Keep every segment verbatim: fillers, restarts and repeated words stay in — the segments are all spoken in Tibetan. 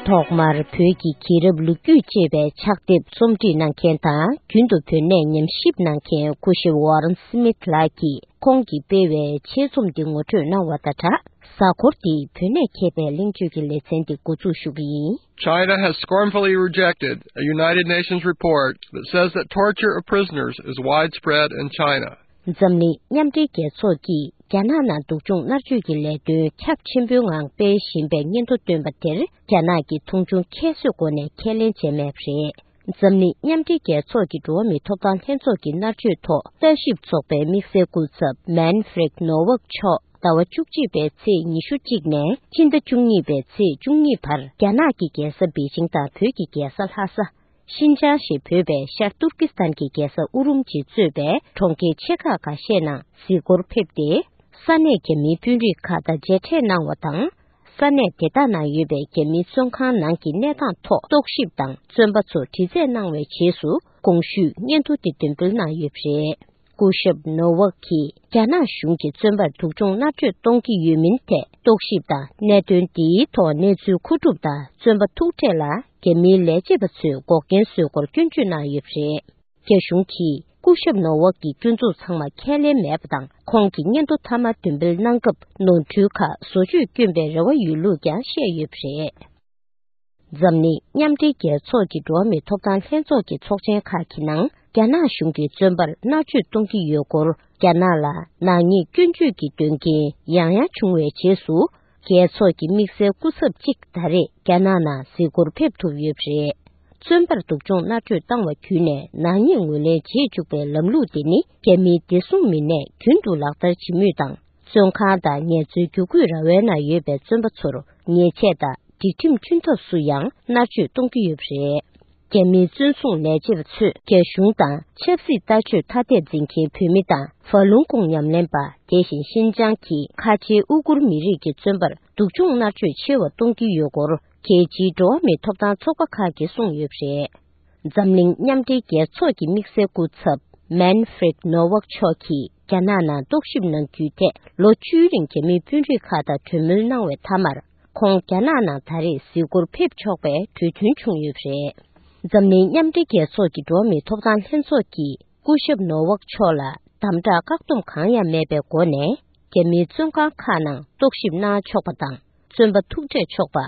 ཐོག་མར་བོད་ཀྱི་རྒྱལ་རབས་ལོ་རྒྱུས་ཅེས་པའི་ཕྱག་དེབ་རྩོམ་སྒྲིག་གནང་མཁན་དང་། རྒྱུན་དུ་བོད་གནས་ཉམས་ཞིབ་གནང་མཁན་སྐུ་ཞབས་ཝོ་རན་སི་མིད་ལགས་ཀྱིས་ཁོང་གིས་སྤེལ་བའི་ཆེད་རྩོམ་འདི་ངོ་སྤྲོད་གནང་བ་དང་སྦྲགས། གཟའ་འཁོར་འདིའི་བོད་གནས་མཁས་པའི་གླེང་བརྗོད་ཀྱི་ལེ་ཚན་འདི་འགོ་འཛུགས་ཞུ་གི་ཡིན། China has scornfully rejected a United Nations report that says that torture of prisoners is widespread in China. འཛམ་གླིང་མཉམ་འབྲེལ་རྒྱལ་ཚོགས་ཀྱིས་རྒྱ་ནག་ནང་སྡུག་སྦྱོང་མནར་གཅོད་ཀྱི་ལས་དོན་ཁྱབ་ཆེན་པོའི་ངང་སྤེལ་བཞིན་པའི་སྙན་ཐོ་བཏོན་པ་དེར། རྒྱ་ནག་གིས་མཐོང་ཆུང་ཁྱད་གསོད་སྒོ་ནས་ཁས་ལེན་བྱས་མེད་པ་རེད། འཛམ་གླིང་མཉམ་འབྲེལ་རྒྱལ་ཚོགས་ཀྱི་འགྲོ་བ་མིའི་ཐོབ་ཐང་ལྷན་ཚོགས་ཀྱི་མནར་གཅོད་ཐོག་ལྟ་ཞིབ་ཚོགས་པའི་དམིགས་བསལ་སྐུ་ཚབ་མན་ཧྥི་རེད་ནོ་ཝག་མཆོག་ཟླ་བ་བཅུ་གཅིག་པའི་ཚེས་ཉི་ཤུ་གཅིག་ནས་ཕྱི་ཟླ་བཅུ་གཉིས་པའི་ཚེས་བཅུ་གཉིས་བར། རྒྱ་ནག་གི་རྒྱལ་ས་པེ་ཅིང་དང་བོད་ཀྱི་རྒྱལ་ས་ལྷ་ས། ཤིན་ཅང་ཞེས་འབོད་པའི་ཤར་ཏུར་ཀི་སི་ཐན་གྱི་རྒྱལ་ས་ཨུ་རུམ་ཅི་གཙོས་པའི་གྲོང་ཁྱེར་ཆེ་ཁག་ཁ་ཤས་ནང་གཟིགས་སྐོར་ཕེབས་ཏེ། ས་གནས་རྒྱ་མིའི་དཔོན་རིགས་ཁག་དང་མཇལ་འཕྲད་གནང་བ་དང་། ས་གནས་དེ་དག་ནང་ཡོད་པའི་རྒྱ་མིའི་བཙོན་ཁང་ནང་གི་གནས་སྟངས་ཐོག་རྟོག་ཞིབ་དང་། བཙོན་པ་ཚོར་དྲི་རྩད་གནང་བའི་རྗེས་སུ། གོང་ཞུས་སྙན་ཐོ་དེ་འདོན་སྤེལ་གནང་ཡོད་པ་རེད། སྐུ་ཞབས་ནོ་ཝག་གིས་རྒྱ་ནག་གཞུང་གིས་བཙོན་པར་སྡུག་སྦྱོང་མནར་གཅོད་གཏོང་གི་ཡོད་མིན་ཐད་རྟོག་ཞིབ་དང་། གནད་དོན་འདིའི་ཐོག་གནས་ཚུལ་མཁོ་སྒྲུབ་དང་། བཙོན་པ་ཐུག་འཕྲད་ལ་རྒྱ་མིའི་ལས་བྱེད་པ་ཚོས་འགོག་རྐྱེན་བཟོས་སྐོར་སྐྱོན་བརྗོད་གནང་ཡོད་པ་རེད། རྒྱ་གཞུང་གིས་སྐུ་ཞབས་ནོ་ཝག་གི་སྐྱོན་འཛུགས་ཚང་མ་ཁས་ལེན་མེད་པ་དང་། ཁོང་གི་སྙན་ཐོ་མཐའ་མ་འདོན་སྤེལ་གནང་སྐབས་ནོར་འཁྲུལ་ཁག་བཟོ་བཅོས་བསྐྱོན་པའི་རེ་བ་ཡོད་ལུགས་ཀྱང་བཤད་ཡོད་པ་རེད། འཛམ་གླིང་མཉམ་འབྲེལ་རྒྱལ་ཚོགས་ཀྱི་འགྲོ་བ་མིའི་ཐོབ་ཐང་ལྷན་ཚོགས་ཀྱི་ཚོགས་ཆེན་ཁག་གི་ནང་། རྒྱ་ནག་གཞུང་གིས་བཙོན་པར་མནར་གཅོད་གཏོང་གི་ཡོད་སྐོར། རྒྱ་ནག་ལ་ནག་ཉེས་སྐྱོན་བརྗོད་ཀྱི་དོན་རྐྱེན་ཡང་ཡང་བྱུང་བའི་རྗེས་སུ། རྒྱལ་ཚོགས་ཀྱི་དམིགས་བསལ་སྐུ་ཚབ་གཅིག་ད་རེས་རྒྱ་ནག་ནང་གཟིགས་སྐོར་ཕེབས་ཐུབ་ཡོད་པ་རེད། བཙོན་པར་སྡུག་སྦྱོང་མནར་གཅོད་བཏང་བ་བརྒྱུད་ནས་ནག་ཉེས་ངོས་ལེན་བྱེད་བཅུག་པའི་ལམ་ལུགས་དེ་ནི། རྒྱ་མིའི་བདེ་སྲུང་མི་སྣས་རྒྱུན་དུ་ལག་བསྟར་བྱེད་མུས་དང་། བཙོན་ཁང་དང་ངལ་རྩོལ་བརྒྱུད་སྐུལ་ར་བའི་ནང་ཡོད་པའི་བཙོན་པ་ཚོར་ཉེས་ཆད་དང་། སྒྲིག་ཁྲིམས་མཐུན་ཐབས་སུ་ཡང་མནར་གཅོད་གཏོང་གི་ཡོད་པ་རེད། རྒྱ་མིའི་བཙོན་སྲུང་ལས་བྱེད་པ་ཚོས་རྒྱ་གཞུང་དང་ཆབ་སྲིད་ལྟ་སྤྱོད་ཐ་དད་འཛིན་མཁན་བོད་མི་དང་། ཧྥ་ལུང་ཀོང་ཉམས་ལེན་པ། དེ་བཞིན་ཤིན་ཅང་གི་ཁ་ཆེའི་ཨུ་གུར་མི་རིགས་ཀྱི་བཙོན་པར་སྡུག་སྦྱོང་མནར་གཅོད་ཆེ་བ་གཏོང་གི་ཡོད་སྐོར། རྒྱལ་སྤྱིའི་འགྲོ་བ་མིའི་ཐོབ་ཐང་ཚོགས་པ་ཁག་གིས་གསུངས་ཡོད་པ་རེད། འཛམ་གླིང་མཉམ་འབྲེལ་རྒྱལ་ཚོགས་ཀྱི་དམིགས་བསལ་སྐུ་ཚབ་མན་ཧྥི་རེད་ནོ་ཝག་མཆོག་གིས་རྒྱ་ནག་ནང་རྟོག་ཞིབ་གནང་རྒྱུའི་ཐད་ལོ་བཅུའི་རིང་རྒྱ་མིའི་དཔོན་རིགས་ཁག་དང་གྲོས་མོལ་གནང་བའི་མཐའ་མར། ཁོང་རྒྱ་ནག་ནང་ད་རེས་གཟིགས་སྐོར་ཕེབས་ཆོག་པའི་གྲོས་མཐུན་བྱུང་ཡོད་པ་རེད། འཛམ་གླིང་མཉམ་འབྲེལ་རྒྱལ་ཚོགས་ཀྱི་འགྲོ་བ་མིའི་ཐོབ་ཐང་ལྷན་ཚོགས་ཀྱིས་སྐུ་ཞབས་ནོ་ཝག་མཆོག་ལ་དམ་དྲག་བཀག་སྡོམ་གང་ཡང་མེད་པའི་སྒོ་ནས། རྒྱ་མིའི་བཙོན་ཁང་ཁག་ནང་རྟོག་ཞིབ་གནང་ཆོག་པ་དང་། བཙོན་པ་ཐུག་འཕྲད་ཆོག་པ།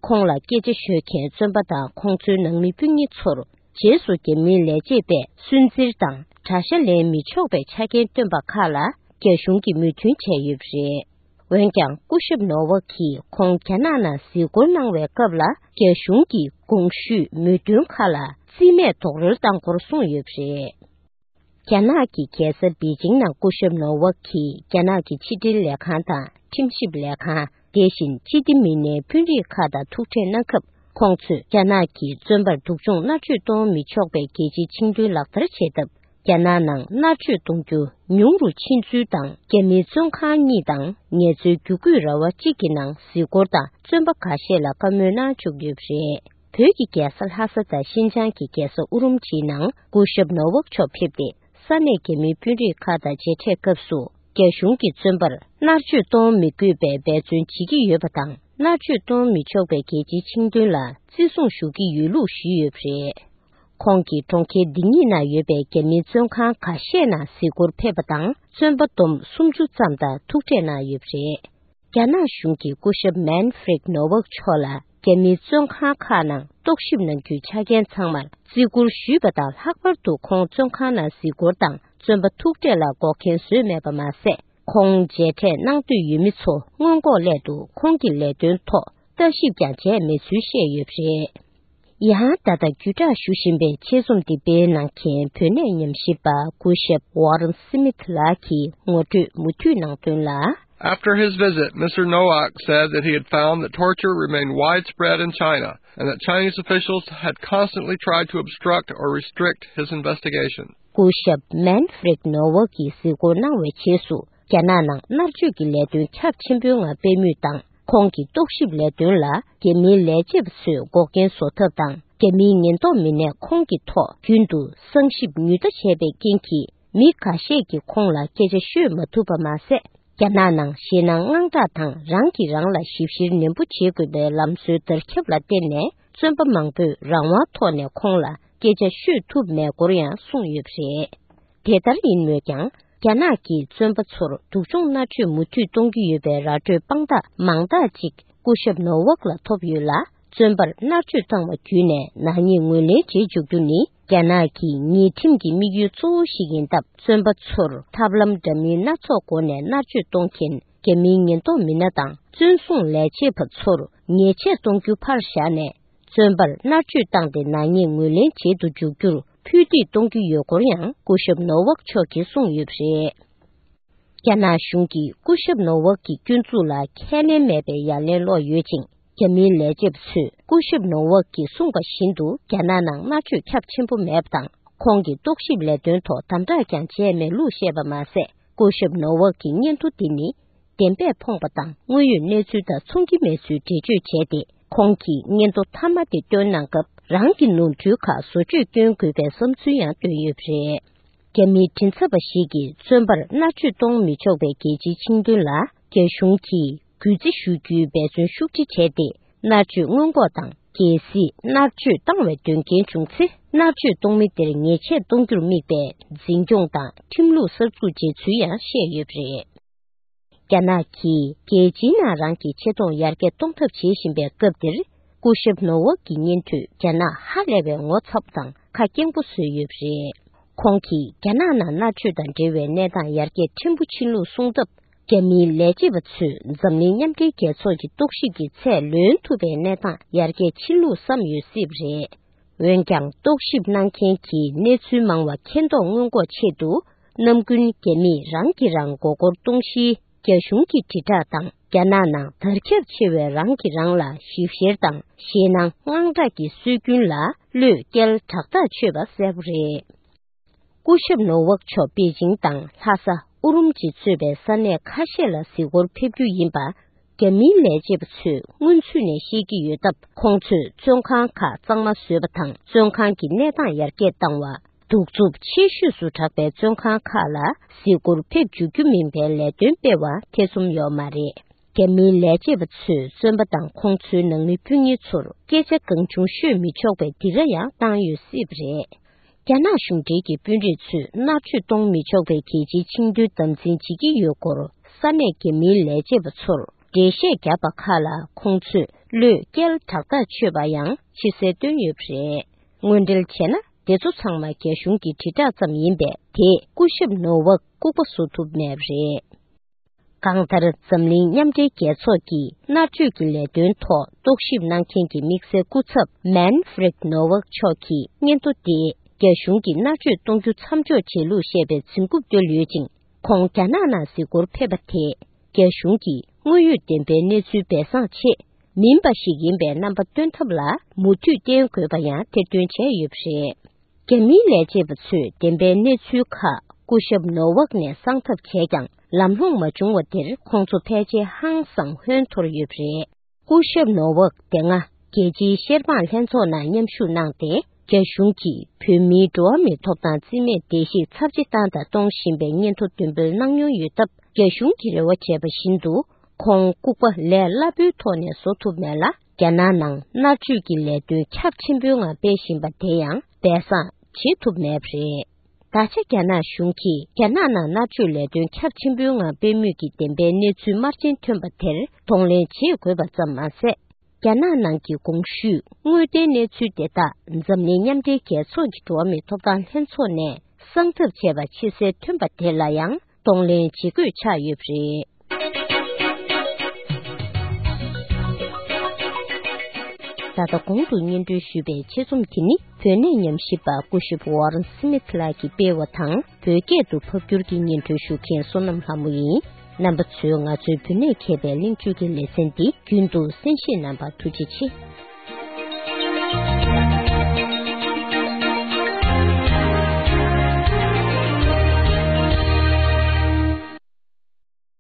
ཁོང་ལ་སྐད་ཆ་ཤོད་མཁན་བཙོན་པ་དང་ཁོང་ཚོའི་ནང་མི་སྤུན་ཉེ་ཚོར། རྗེས་སུ་རྒྱ་མིའི་ལས་བྱེད་པས་སུན་གཙེར་དང་དགྲ་ཤ་ལེན་མི་ཆོག་པའི་ཆ་རྐྱེན་བཏོན་པ་ཁག་ལ་རྒྱ་གཞུང་གིས་མོས་མཐུན་བྱས་ཡོད་པ་རེད། འོན་ཀྱང་། སྐུ་ཞབས་ནོ་ཝག་གིས་ཁོང་རྒྱ་ནག་ནང་གཟིགས་སྐོར་གནང་བའི་སྐབས་ལ། རྒྱ་གཞུང་གིས་གོང་ཞུས་མོས་མཐུན་ཁག་ལ་རྩིས་མེད་རྡོག་རོལ་བཏང་སྐོར་གསུངས་ཡོད་པ་རེད། རྒྱ་ནག་གི་རྒྱལ་ས་པེ་ཅིང་ནང་སྐུ་ཞབས་ནོ་ཝག་གིས་རྒྱ་ནག་གི་ཕྱི་འབྲེལ་ལས་ཁང་དང་ཁྲིམས་ཞིབ་ལས་ཁང་། དེ་བཞིན་སྤྱི་བདེ་མི་སྣའི་དཔོན་རིགས་ཁག་དང་ཐུག་འཕྲད་གནང་སྐབས། ཁོང་ཚོས་རྒྱ་ནག་གིས་བཙོན་པར་སྡུག་སྦྱོང་མནར་གཅོད་གཏོང་མི་ཆོག་པའི་རྒྱལ་སྤྱིའི་ཆིངས་དོན་ལག་བསྟར་བྱས་སྟབས། རྒྱ་ནག་ནང་མནར་གཅོད་གཏོང་རྒྱུ་ཉུང་རུ་ཕྱིན་ཚུལ་དང་། རྒྱ་མིའི་བཙོན་ཁང་གཉིས་དང་ངལ་རྩོལ་བརྒྱུད་སྐུད་ར་བ་གཅིག་གི་ནང་གཟིགས་སྐོར་དང་བཙོན་པ་ཁ་ཤས་ལ་བཀའ་མོལ་གནང་བཅུག་ཡོད་པ་རེད། བོད་ཀྱི་རྒྱལ་ས་ལྷ་ས་དང་ཤིན་ཅང་གི་རྒྱལ་ས་ཨུ་རུམ་ཆིའི་ནང་སྐུ་ཞབས་ནོ་ཝག་མཆོག་ཕེབས་ཏེ། ས་གནས་རྒྱ་མིའི་དཔོན་རིགས་ཁག་དང་མཇལ་འཕྲད་སྐབས་སུ། རྒྱ་གཞུང་གིས་བཙོན་པར་མནར་གཅོད་གཏོང་མི་དགོས་པའི་འབད་བརྩོན་བྱེད་ཀྱི་ཡོད་པ་དང་། མནར་གཅོད་གཏོང་མི་ཆོག་པའི་རྒྱལ་སྤྱིའི་ཆིངས་དོན་ལ་བརྩི་སྲུང་ཞུ་གི་ཡོད་ལུགས་ཞུས་ཡོད་པ་རེད། ཁོང་གིས་གྲོང་ཁྱེར་འདི་གཉིས་ནང་ཡོད་པའི་རྒྱ་མིའི་བཙོན་ཁང་ཁ་ཤས་ནང་གཟིགས་སྐོར་ཕེབས་པ་དང་། བཙོན་པ་བསྡོམས་སུམ་ཅུ་ཙམ་དང་ཐུག་འཕྲད་གནང་ཡོད་པ་རེད། རྒྱ་ནག་གཞུང་གིས་སྐུ་ཞབས་མན་ཧྥི་རེད་ནོ་ཝག་མཆོག་ལ་རྒྱ་མིའི་བཙོན་ཁང་ཁག་ནང་རྟོག་ཞིབ་གནང་རྒྱུའི་ཆ་རྐྱེན་ཚང་མར་བརྩི་བཀུར་ཞུས་པ་དང་། ལྷག་པར་དུ་ཁོང་བཙོན་ཁང་ནང་གཟིགས་སྐོར་དང་བཙོན་པ་ཐུག་འཕྲད་ལ་འགོག་རྐྱེན་བཟོས་མེད་པ་མ་ཟད། ཁོང་མཇལ་འཕྲད་གནང་འདོད་ཡོད་མི་ཚོ་སྔོན་འགོག་སླད་དུ་ཁོང་གི་ལས་དོན་ཐོག་ལྟ་ཞིབ་ཀྱང་བྱས་མེད་ཚུལ་བཤད་ཡོད་པ་རེད། ཡང་། ད་ལྟ་བརྒྱུད་བསྒྲགས་ཞུ་བཞིན་པའི་ཆེད་རྩོམ་འདི་སྤེལ་གནང་མཁན་བོད་གནས་ཉམས་ཞིབ་པ་སྐུ་ཞབས་ཝོ་རན་སི་མིད་ལགས་ཀྱིས་ངོ་སྤྲོད་མུ་མཐུད་གནང་དོན་ལ། After his visit, Mister Nowak said that he had found that torture remained widespread in China and that Chinese officials had constantly tried to obstruct or restrict his investigation. སྐུ་ཞབས་མན་ཧྥི་རེད་ནོ་ཝག་གིས་གཟིགས་སྐོར་གནང་བའི་རྗེས་སུ། རྒྱ་ནག་ནང་མནར་གཅོད་ཀྱི་ལས་དོན་ཁྱབ་ཆེན་པོའི་ངང་སྤེལ་མུས་དང་། ཁོང་གི་རྟོག་ཞིབ་ལས་དོན་ལ་རྒྱ་མིའི་ལས་བྱེད་པ་ཚོས་འགོག་རྐྱེན་བཟོ་ཐབས་དང་། རྒྱ་མིའི་ཉེན་རྟོག་མི་སྣས་ཁོང་གི་ཐོག་རྒྱུན་དུ་བསང་ཞིབ་ཉུང་མཐའ་བྱས་པའི་རྐྱེན་གྱིས། མི་འགའ་ཤས་ཀྱིས་ཁོང་ལ་སྐད་ཆ་ཤོད་མ་ཐུབ་པ་མ་ཟད། རྒྱ་ནག་ནང་ཞེད་སྣང་དངངས་སྐྲག་དང་རང་གིས་རང་ལ་ཞིབ་བཤེར་ནན་པོ་བྱེད་དགོས་པའི་ལམ་སྲོལ་དར་ཁྱབ་ལ་བརྟེན་ནས། བཙོན་པ་མང་པོས་རང་དབང་ཐོག་ནས་ཁོང་ལ་སྐད་ཆ་ཤོད་ཐུབ་མེད་སྐོར་ཡང་གསུངས་ཡོད་པ་རེད། དེ་ལྟར་ཡིན་མོད་ཀྱང་། རྒྱ་ནག་གིས་བཙོན་པ་ཚོར་སྡུག་སྦྱོང་མནར་གཅོད་མུ་མཐུད་གཏོང་གི་ཡོད་པའི་ར་སྤྲོད་དཔང་རྟགས་མང་དག་ཅིག་སྐུ་ཞབས་ནོ་ཝག་ལ་ཐོབ་ཡོད་ལ། བཙོན་པར་མནར་གཅོད་བཏང་བ་བརྒྱུད་ནས་ནག་ཉེས་ངོས་ལེན་བྱེད་འཇུག་རྒྱུ་ནི་རྒྱ་ནག་གི་ཉེས་ཁྲིམས་ཀྱི་དམིགས་ཡུལ་གཙོ་བོ་ཞིག་ཡིན་སྟབས། བཙོན་པ་ཚོར་ཐབས་ལམ་འདྲ་མིན་སྣ་ཚོགས་སྒོ་ནས་མནར་གཅོད་གཏོང་མཁན་རྒྱ་མིའི་ཉེན་རྟོག་མི་སྣ་དང་བཙོན་སྲུང་ལས་བྱེད་པ་ཚོར་ཉེས་ཆད་གཏོང་རྒྱུ་ཕར་བཞག་ནས། བཙོན་པར་མནར་གཅོད་བཏང་སྟེ་ནག་ཉེས་ངོས་ལེན་བྱེད་དུ་འཇུག་རྒྱུར་ཕུད་རྡེག་གཏོང་རྒྱུ་ཡོད་སྐོར་ཡང་སྐུ་ཞབས་ནོ་ཝག་མཆོག་གིས་གསུངས་ཡོད་པ་རེད། རྒྱ་ནག་གཞུང་གིས་སྐུ་ཞབས་ནོ་ཝག་གི་སྐྱོན་འཛུགས་ལ་ཁས་ལེན་མེད་པའི་ཡ་ལན་སློག་ཡོད་ཅིང་། རྒྱ་མིའི་ལས་བྱེད་པ་ཚོས་སྐུ་ཞབས་ནོ་ཝག་གིས་གསུངས་པ་བཞིན་དུ་རྒྱ་ནག་ནང་མནར་གཅོད་ཁྱབ་ཆེན་པོ་མེད་པ་དང་། ཁོང་གི་རྟོག་ཞིབ་ལས་དོན་ཐོག་དམ་དྲག་ཀྱང་བྱས་མེད་ལུགས་བཤད་པ་མ་ཟད། སྐུ་ཞབས་ནོ་ཝག་གི་སྙན་ཐོ་འདི་ནི་བདེན་པས་ཕོངས་པ་དང་དངོས་ཡོད་གནས་ཚུལ་དང་མཚུངས་ཀྱི་མེད་ཚུལ་འགྲེལ་བརྗོད་བྱས་ཏེ། ཁོང་གིས་སྙན་ཐོ་མཐའ་མ་དེ་བཏོན་གནང་སྐབས་རང་གི་ནོར་འཁྲུལ་ཁག་བཟོ་བཅོས་སྐྱོན་དགོས་པའི་བསམ་ཚུལ་ཡང་བཏོན་ཡོད་པ་རེད། རྒྱ་མིའི་མགྲིན་ཚབ་པ་ཞིག་གིས་བཙོན་པར་མནར་གཅོད་གཏོང་མི་ཆོག་པའི་རྒྱལ་སྤྱིའི་ཆིངས་དོན་ལ་རྒྱ་གཞུང་གིས་གུས་བརྩི་ཞུ་རྒྱུའི་འབད་བརྩོན་ཤུགས་ཆེ་བྱས་ཏེ། མནར་གཅོད་སྔོན་འགོག་དང་། གལ་སྲིད་མནར་གཅོད་བཏང་བའི་དོན་རྐྱེན་བྱུང་ཚེ། མནར་གཅོད་གཏོང་མི་དེར་ཉེས་ཆད་གཏོང་རྒྱུར་དམིགས་པའི་འཛིན་སྐྱོང་དང་ཁྲིམས་ལུགས་གསར་འཛུགས་བྱས་ཚུལ་ཡང་བཤད་ཡོད་པ་རེད། རྒྱ་ནག་གིས་རྒྱལ་སྤྱིའི་ནང་རང་གི་ཆེ་མཐོང་ཡར་རྒྱས་གཏོང་ཐབས་བྱེད་བཞིན་པའི་སྐབས་འདིར། སྐུ་ཞབས་ནོ་ཝག་གི་སྙན་ཐོས་རྒྱ་ནག་ཧ་ལས་པའི་ངོ་ཚ་པོ་དང་ཁ་སྐྱེངས་པོ་བཟོས་ཡོད་པ་རེད། ཁོང་གིས་རྒྱ་ནག་ནང་མནར་གཅོད་དང་འབྲེལ་བའི་གནས་སྟངས་ཡར་རྒྱས་ཕྲན་བུ་ཕྱིན་ལུགས་གསུངས་སྟབས། རྒྱ་མིའི་ལས་བྱེད་པ་ཚོས་འཛམ་གླིང་མཉམ་འབྲེལ་རྒྱལ་ཚོགས་ཀྱི་རྟོག་ཞིབ་ཀྱི་ཚད་ལོན་ཐུབ་པའི་གནས་སྟངས་ཡར་རྒྱས་ཕྱིན་ལུགས་བསམ་ཡོད་སྲིད་པ་རེད། འོན་ཀྱང་། རྟོག་ཞིབ་གནང་མཁན་གྱིས་གནས་ཚུལ་མང་བ་མཁྱེན་རྟོགས་སྔོན་འགོག་ཆེད་དུ། ནམ་རྒྱུན་རྒྱ་མིས་རང་གིས་རང་མགོ་སྐོར་གཏོང་གཞིའི་རྒྱ་གཞུང་གི་དྲིལ་བསྒྲགས་དང་། རྒྱ་ནག་ནང་དར་ཁྱབ་ཆེ་བའི་རང་གིས་རང་ལ་ཞིབ་བཤེར་དང་ཞེད་སྣང་དངངས་སྐྲག་གི་སྲོལ་རྒྱུན་ལ་བློས་བཀལ་དྲག་ཐག་ཆོད་པ་གསལ་པོ་རེད། སྐུ་ཞབས་ནོ་ཝག་མཆོག་པེ་ཅིང་དང་ལྷ་ས་ཨུ་རུམ་ཅི་གཙོས་པའི་ས་གནས་ཁ་ཤས་ལ་གཟིགས་སྐོར་ཕེབས་རྒྱུ་ཡིན་པ། རྒྱ་མིའི་ལས་བྱེད་པ་ཚོས་སྔོན་ཚུད་ནས་ཤེས་ཀྱི་ཡོད་སྟབས། ཁོང་ཚོས་བཙོན་ཁང་ཁག་གཙང་མ་བཟོས་པ་དང་། བཙོན་ཁང་གི་གནས་སྟངས་ཡར་རྒྱས་བཏང་བ། གདུག་རྩུབ་ཆེ་ཤོས་སུ་གྲགས་པའི་བཙོན་ཁང་ཁག་ལ་གཟིགས་སྐོར་ཕེབས་འཇུག་རྒྱུ་མིན་པའི་ལས་དོན་སྤེལ་བ་ཐེ་ཚོམ་ཡོད་མ་རེད། རྒྱ་མིའི་ལས་བྱེད་པ་ཚོས་བཙོན་པ་དང་ཁོང་ཚོའི་ནང་མི་སྤུན་ཉེ་ཚོར་སྐད་ཆ་གང་བྱུང་ཤོད་མི་ཆོག་པའི་སྡིགས་ར་ཡང་བཏང་ཡོད་སྲིད་པ་རེད། རྒྱ་ནག་གཞུང་འབྲེལ་གྱི་དཔོན་རིགས་ཚོས་མནར་གཅོད་གཏོང་མི་ཆོག་པའི་རྒྱལ་སྤྱིའི་ཆིངས་དོན་དམ་འཛིན་བྱེད་ཀྱི་ཡོད་སྐོར་ས་གནས་རྒྱ་མིའི་ལས་བྱེད་པ་ཚོར་འགྲེལ་བཤད་བརྒྱབ་པ་ཁག་ལ་ཁོང་ཚོས་བློས་བཀལ་དྲག་ཐག་ཆོད་པ་ཡང་ཕྱི་གསལ་བཏོན་ཡོད་པ་རེད། དངོས་འབྲེལ་བྱས་ན། དེ་ཚོ་ཚང་མ་རྒྱ་གཞུང་གི་དྲིལ་བསྒྲགས་ཙམ་ཡིན་པས། དེས་སྐུ་ཞབས་ནོ་ཝག་ལྐུགས་པ་བཟོ་ཐུབ་མེད་པ་རེད། གང་ལྟར། འཛམ་གླིང་མཉམ་འབྲེལ་རྒྱལ་ཚོགས་ཀྱི་མནར་གཅོད་ཀྱི་ལས་དོན་ཐོག་རྟོག་ཞིབ་གནང་མཁན་གྱི་དམིགས་བསལ་སྐུ་ཚབ་མན་ཧྥི་རེད་ནོ་ཝག་མཆོག་གིས་སྙན་ཐོ་དེ་རྒྱ་གཞུང་གིས་མནར་གཅོད་གཏོང་རྒྱུ་མཚམས་འཇོག་བྱེད་ལུགས་བཤད་པའི་འཛིན་རྐུབ་བརྡོལ་ཡོད་ཅིང་། ཁོང་རྒྱ་ནག་ནང་གཟིགས་སྐོར་ཕེབས་པ་དེས་རྒྱ་གཞུང་གིས་དངོས་ཡོད་བདེན་པའི་གནས་ཚུལ་སྦས་གསང་ཆེད་མིན་པ་ཞིག་ཡིན་པའི་རྣམ་པ་སྟོན་ཐབས་ལ་མུ་མཐུད་བརྟེན་དགོས་པ་ཡང་ཐེར་འདོན་བྱས་ཡོད་པ་རེད། རྒྱ་མིའི་ལས་བྱེད་པ་ཚོས་བདེན་པའི་གནས་ཚུལ་ཁག་སྐུ་ཞབས་ནོ་ཝག་ནས་གསང་ཐབས་བྱས་ཀྱང་ལམ་ལྷོང་མ་བྱུང་བ་དེར་ཁོང་ཚོ་ཕལ་ཆེར་ཧང་སང་ཧོན་འཐོར་ཡོད་པ་རེད། སྐུ་ཞབས་ནོ་ཝག་དེ་སྔ་རྒྱལ་སྤྱིའི་ཤེར་དབང་ལྷན་ཚོགས་ནང་མཉམ་ཞུགས་གནང་སྟེ། རྒྱ་གཞུང་གིས་བོད་མིའི་འགྲོ་བ་མིའི་ཐོབ་ཐང་རྩིས་མེད་བརྡལ་བཤིག་ཚབས་ཆེ་བཏང་དང་གཏོང་བཞིན་པའི་སྙན་ཐོ་འདོན་འབུལ་གནང་མྱོང་ཡོད་སྟབས། རྒྱ་གཞུང་གིས་རེ་བ་བྱས་པ་བཞིན་དུ། ཁོང་ལྐུགས་པ་ལས་སླ་པོའི་ཐོག་ནས་བཟོ་ཐུབ་མེད་ལ། རྒྱ་ནག་ནང་མནར་གཅོད་ཀྱི་ལས་དོན་ཁྱབ་ཆེན་པོའི་ངང་སྤེལ་བཞིན་པ་དེ་ཡང་སྦས་གསང་བྱེད་ཐུབ་མེད་པ་རེད། ད་ཆ་རྒྱ་ནག་གཞུང་གིས་རྒྱ་ནག་ནང་མནར་གཅོད་ལས་དོན་ཁྱབ་ཆེན་པོའི་ངང་སྤེལ་མུས་ཀྱི་བདེན་པའི་གནས་ཚུལ་དམར་རྗེན་ཐོན་པ་དེར་གདོང་ལེན་བྱེད་དགོས་པ་ཙམ་མ་ཟད། རྒྱ་ནག་ནང་གི་གོང་ཞུས་དངོས་བདེན་གནས་ཚུལ་དེ་དག་འཛམ་གླིང་མཉམ་འབྲེལ་རྒྱལ་ཚོགས་ཀྱི་འགྲོ་བ་མིའི་ཐོབ་ཐང་ལྷན་ཚོགས་ནས་གསང་ཐབས་བྱས་པ་ཕྱི་གསལ་ཐོན་པ་དེ་ལ་ཡང་གདོང་ལེན་བྱེད་དགོས་ཆགས་ཡོད་པ་རེད། ད་ལྟ་གོང་དུ་སྙན་སྒྲོན་ཞུས་པའི་ཆེད་རྩོམ་དེ་ནི་བོད་གནས་ཉམས་ཞིབ་པ་སྐུ་ཞབས་ཝོ་རན་སི་མིད་ལགས་ཀྱིས་སྤེལ་བ་དང་། བོད་སྐད་དུ་ཕབ་བསྒྱུར་གྱིས་སྙན་སྒྲོན་ཞུ་མཁན་བསོད་ནམས་ལྷ་མོ་ཡིན། རྣམ་པ་ཚོས་ང་ཚོའི་བོད་གནས་མཁས་པའི་གླེང་བརྗོད་ཀྱི་ལེ་ཚན་འདི་རྒྱུན་དུ་གསན་བཞེས་གནང་བར་ཐུགས་རྗེ་ཆེ།